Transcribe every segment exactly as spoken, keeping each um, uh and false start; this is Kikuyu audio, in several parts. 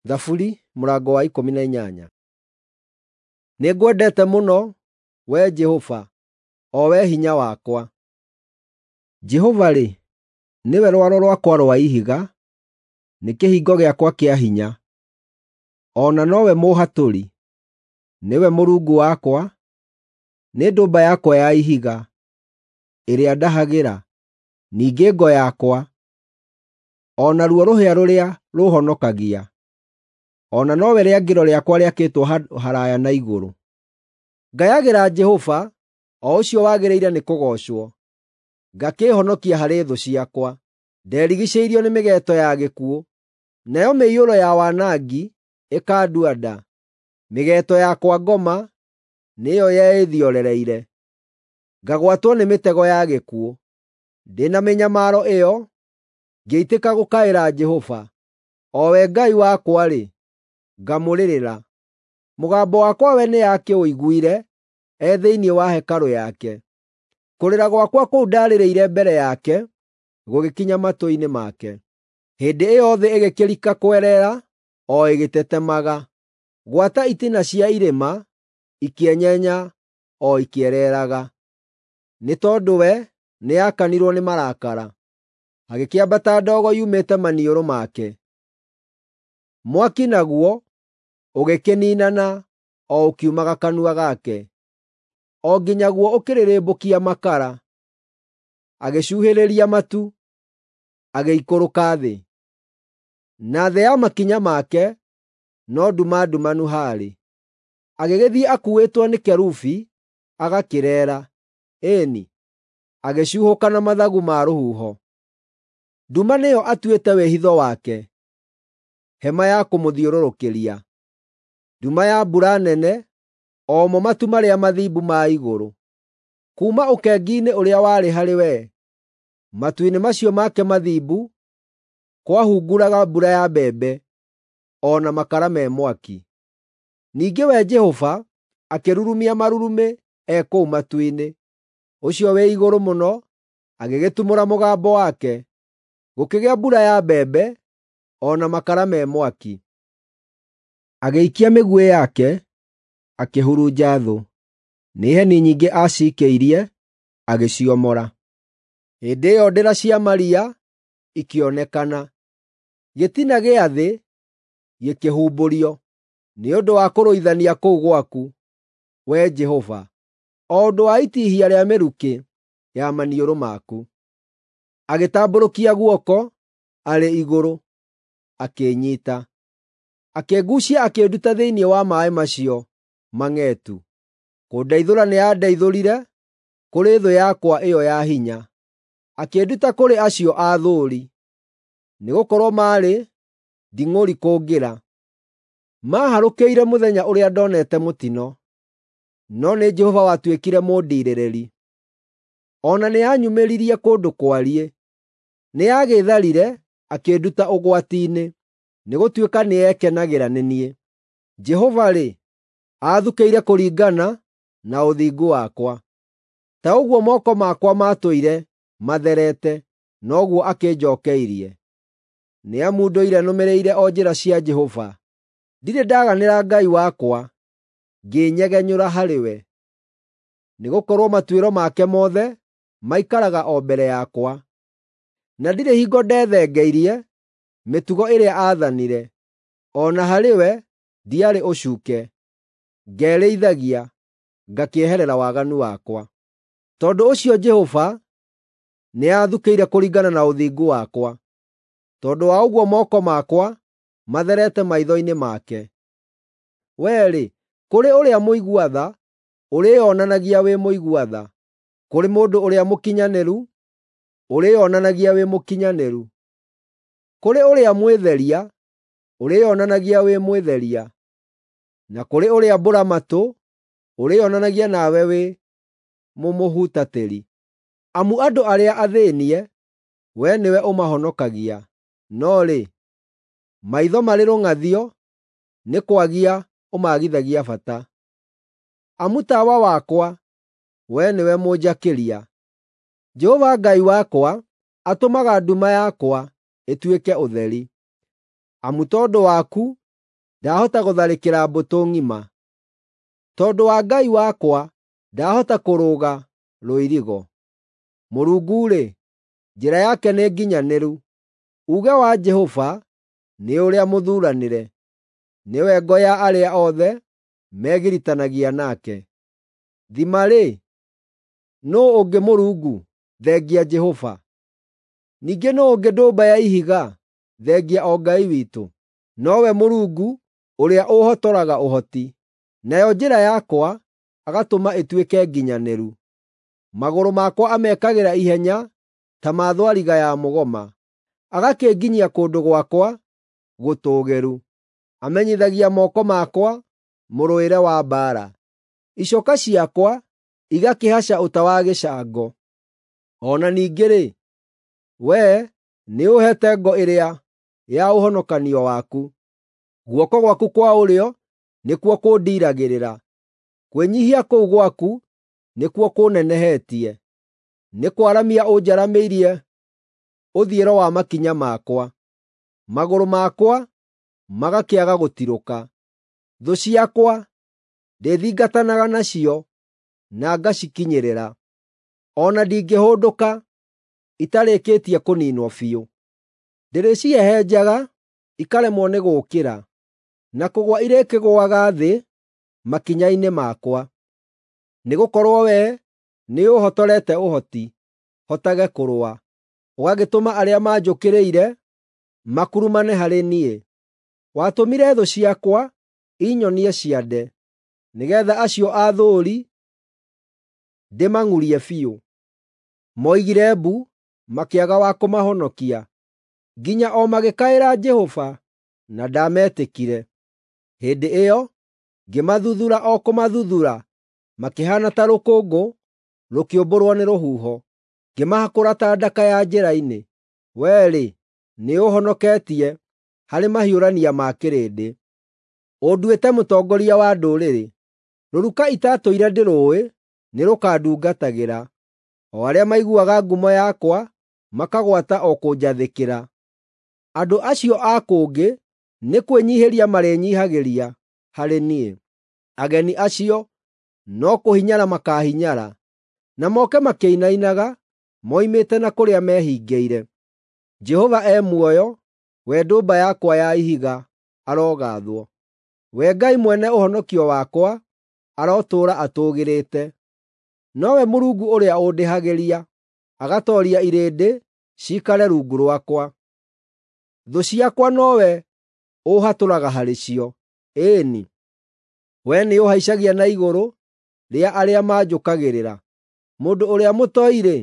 Thaburi mũrango wa ikũmi na inyanya. Nĩngwendete mũno, Wee Jehova, o Wee hinya wakwa. Jehova-rĩ, nĩwe rwaro rwakwa rwa ihiga, nĩ kĩhingo gĩakwa kĩa hinya, o na nowe mũũhatũri. Nĩwe Mũrungu wakwa, nĩ ndũmba yakwa ya ihiga, ĩrĩa ndahagĩra, ningĩ ngo yakwa, o naruo rũhĩa rũrĩa rũũhonokagia, o na nowe rĩangĩro rĩakwa rĩakĩtwo handũ haraaya na igũrũ. Ngayagĩra Jehova, o ũcio wagĩrĩire nĩkũgoocwo, ngakĩĩhonokia harĩ thũ ciakwa. Nderigiicĩirio nĩ mĩgeeto ya gĩkuũ, nayo mĩiyũro ya wanangi ĩkandua nda. Mĩgeeto ya kwa ngoma nĩyo yeĩthiorereire, ngagwatwo nĩ mĩtego ya gĩkuũ. Ndĩ na mĩnyamaro ĩyo, ngĩitĩka gũkaĩra Jehova, o we Ngai wakwa-rĩ, ngamũrĩrĩra. Mũgambo wakwa we nĩakĩũiguire e thĩinĩ wa hekarũ yake; kũrĩra gwakwa kũu ndarĩrĩire mbere yake gũgĩkinya matũ-inĩ make. Hĩndĩ ĩyo thĩ ĩgĩkĩrika kwerera o ĩgĩtetemaga, gwata itina cia irĩma ikĩenyenya o ikĩereeraga. Nĩ tondũ we nĩakanirwo nĩ marakara, hagĩkĩambata ndogo yumĩte maniũrũ make. Mwaki naguo ũgĩkĩniinana o ũkiumaga kanua gake, o nginya guo ũkĩrĩrĩmbũkia makara. Agĩcuhĩrĩria matu, agĩikũrũka thĩ, na thĩ ya makinya make no nduma ndumanu haarĩ. Agĩgĩthiĩ akuuĩtwo nĩ kerubi agakĩreera, ĩĩ-ni, agĩcuuhũka na mathagu ma rũhuho. Nduma nĩyo atuĩte wĩhitho wake, hema ya kũmũthiũrũrũkĩria, nduma ya mbura nene, o mo matu marĩa mathimbu ma igũrũ. Kuuma ũkengi-inĩ ũrĩa warĩ harĩ we, matu-inĩ macio make mathimbu, kwahunguraga mbura ya mbembe, o na makara me mwaki. Ningĩ we Jehova akĩrurumia marurumĩ e kũu matu-inĩ, ũcio wĩ igũrũ mũno agĩgĩtumũra mũgambo wake, gũkĩgĩa mbura ya mbembe o na makara me mwaki. Agĩikia mĩguĩ yake, akĩhurunja thũ; nĩ heni nyingĩ aciikĩirie, agĩciomora. Hĩndĩ ĩyo ndĩra cia maria ikĩonekana, gĩtina gĩa thĩ gĩkĩhumbũrio, nĩ ũndũ wa kũrũithania kũu gwaku, Wee Jehova, o ũndũ wa itihia rĩa mĩrukĩ ya maniũrũ maku. Agĩtambũrũkia guoko arĩ igũrũ, akĩnyiita, akĩnguucia akĩnduta thĩinĩ wa maaĩ macio mang'etu. Kũndeithũra nĩandeithũrire kũrĩ thũ yakwa ĩyo ya hinya, akĩnduta kũrĩ acio aathũũri, nĩgũkorwo maarĩ nding'ũri kũngĩra. Maaharũkĩire mũthenya ũrĩa ndonete mũtino, no nĩ Jehova watuĩkire mũndiirĩrĩri. O na nĩanyumĩririe kũndũ kwariĩ; nĩagĩĩtharire akĩnduta ũgwati-inĩ, nĩgũtuĩka nĩekenagĩra nĩ niĩ. Jehova-rĩ, aathukĩire kũringana na ũthingu wakwa; ta ũguo moko makwa maatũire matherete, noguo akĩnjookeirie. Nĩ amu ndũire nũmĩrĩire o njĩra cia Jehova; ndirĩ ndaganĩra Ngai wakwa, ngĩĩnyegenyũra harĩ we. Nĩgũkorwo matuĩro make mothe maikaraga o mbere yakwa, na ndirĩ hingo ndethengeirie mĩtugo ĩrĩa aathanire. O na harĩ we ndiarĩ ũcuuke, ngerĩithagia, ngakĩeherera waganu wakwa. Tondũ ũcio Jehova nĩathukĩire kũringana na ũthingu wakwa, tondũ wa ũguo moko makwa matherete maitho-inĩ make. Wee-rĩ, kũrĩ ũrĩa mũigua tha ũrĩĩonanagia wĩ mũigua tha, kũrĩ mũndũ ũrĩa mũkinyanĩru ũrĩĩonanagia wĩ mũkinyanĩru, kũrĩ ũrĩa mwĩtheria ũrĩĩonanagia wĩ mwĩtheria, na kũrĩ ũrĩa mbũra-matũ ũrĩĩonanagia nawe wĩ mũmũhutatĩri. Amu andũ arĩa athĩĩnie wee nĩwe ũmahonokagia, no rĩ, maitho marĩ rũng'athio nĩ kwagia ũmaagithagia bata. Amu tawa wakwa, wee nĩwe mũnjakĩria; Jehova Ngai wakwa atũmaga nduma yakwa ĩtuĩke ũtheri. Amu tondũ waku ndahota gũtharĩkĩra mbũtũ ng'ima. Tondũ wa Ngai wakwa ndahota kũrũga rũirigo. Mũrungu-rĩ, njĩra yake nĩ nginyanĩru. Uuge wa Jehova nĩ ũrĩa mũthuuranĩre. Nĩwe ngo ya arĩa othe megiritanagia nake. Thima-rĩ, nũũ ũngĩ Mũrungu thengia Jehova? Ningĩ nũũ ũngĩ ndũmba ya ihiga thengia o Ngai witũ? Nowe Mũrungu ũrĩa ũũhotoraga ũhoti, nayo njĩra yakwa agatũma ĩtuĩke nginyanĩru. Magũrũ makwa amekagĩra ihenya ta ma thwariga ya mũgoma, agakĩnginyia kũndũ gwakwa gũtũũgĩru. Amenyithagia moko makwa mũrũĩre wa mbaara, icoka ciakwa igakĩhaca ũta wa gĩcango. O na ningĩ-rĩ, wee nĩũũheete ngo ĩrĩa ya ũhonokanio waku. Guoko gwaku kwa ũrĩo nĩkuo kũndiiragĩrĩra. Kwĩnyiihia kũu gwaku nĩkuo kũũnenehetie. Nĩ kwaramia ũnjaramĩirie ũthiĩro wa makinya makwa, magũrũ makwa magakĩaga gũtirũka. Thũ ciakwa ndĩthingatanaga nacio na ngacikinyĩrĩra. O na ndingĩhũndũka itarĩkĩtie kũniinwo biũ. Ndĩrĩcihehenjaga ikaremwo nĩ gũũkĩra, na kũgũa irĩkĩgũaga thĩ makinya-inĩ makwa. Nĩgũkorwo wee nĩũũhotorete ũhoti hotage kũrũa, ũgagĩtũma arĩa manjũkĩrĩire makurumane harĩ niĩ. Watũmire thũ ciakwa inyonie ciande, nĩgeetha acio aathũũri ndĩmang'urie biũ. Moigire mbu, makĩaga wa kũmahonokia, nginya o magĩkaĩra Jehova, na ndaametĩkire. Hĩndĩ ĩyo ngĩmathuthuura o kũmathuthuura, makĩhaana ta rũkũngũ rũkĩũmbũrwo nĩ rũhuho, ngĩmahakũra ta ndaka ya njĩra-inĩ. Wee-rĩ, nĩũũhonoketie harĩ mahiũrania ma kĩrĩndĩ. Ũnduĩte mũtongoria wa ndũrĩrĩ. Rũruka itatũire ndĩrũũĩ nĩrũkandungatagĩra. O arĩa maiguaga ngumo yakwa makagwata o kũnjathĩkĩra. Andũ acio a kũngĩ nĩ kwĩnyiihĩria marĩnyiihagĩria harĩ niĩ. Ageni acio no kũhinyara makaahinyara, na moke makĩinainaga moimĩte na kũrĩa mehingĩire. Jehova e muoyo, we ndũmba yakwa ya ihiga arogaathwo. We Ngai mwene ũhonokio wakwa arotũũra atũũgĩrĩte. Nowe Mũrungu ũrĩa ũndĩhagĩria, agatooria irĩndĩ ciikare rungu rwakwa. Thũ ciakwa nowe ũũhatũraga harĩ cio. Ĩĩ-ni, wee nĩũũhaicagia na igũrũ rĩa arĩa manjũkagĩrĩra. Mũndũ ũrĩa mũtoi-rĩ,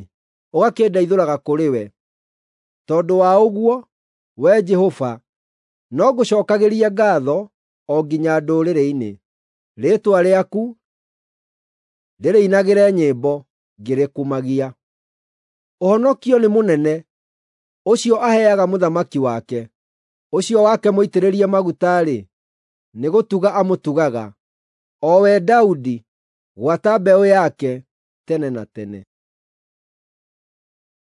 ũgakĩndeithũraga kũrĩ we. Tondũ wa ũguo, Wee Jehova, no ngũcookagĩria ngaatho o nginya ndũrĩrĩ-inĩ. Rĩĩtwa rĩaku ndĩrĩinagĩre nyĩmbo ngĩrĩkumagia. Ũhonokio nĩ mũnene, ũcio aheaga mũthamaki wake. Ũcio wake mũitĩrĩrie maguta-rĩ, nĩgũtuga amũtugaga, o we Daudi, gwata mbeũ yake tene na tene.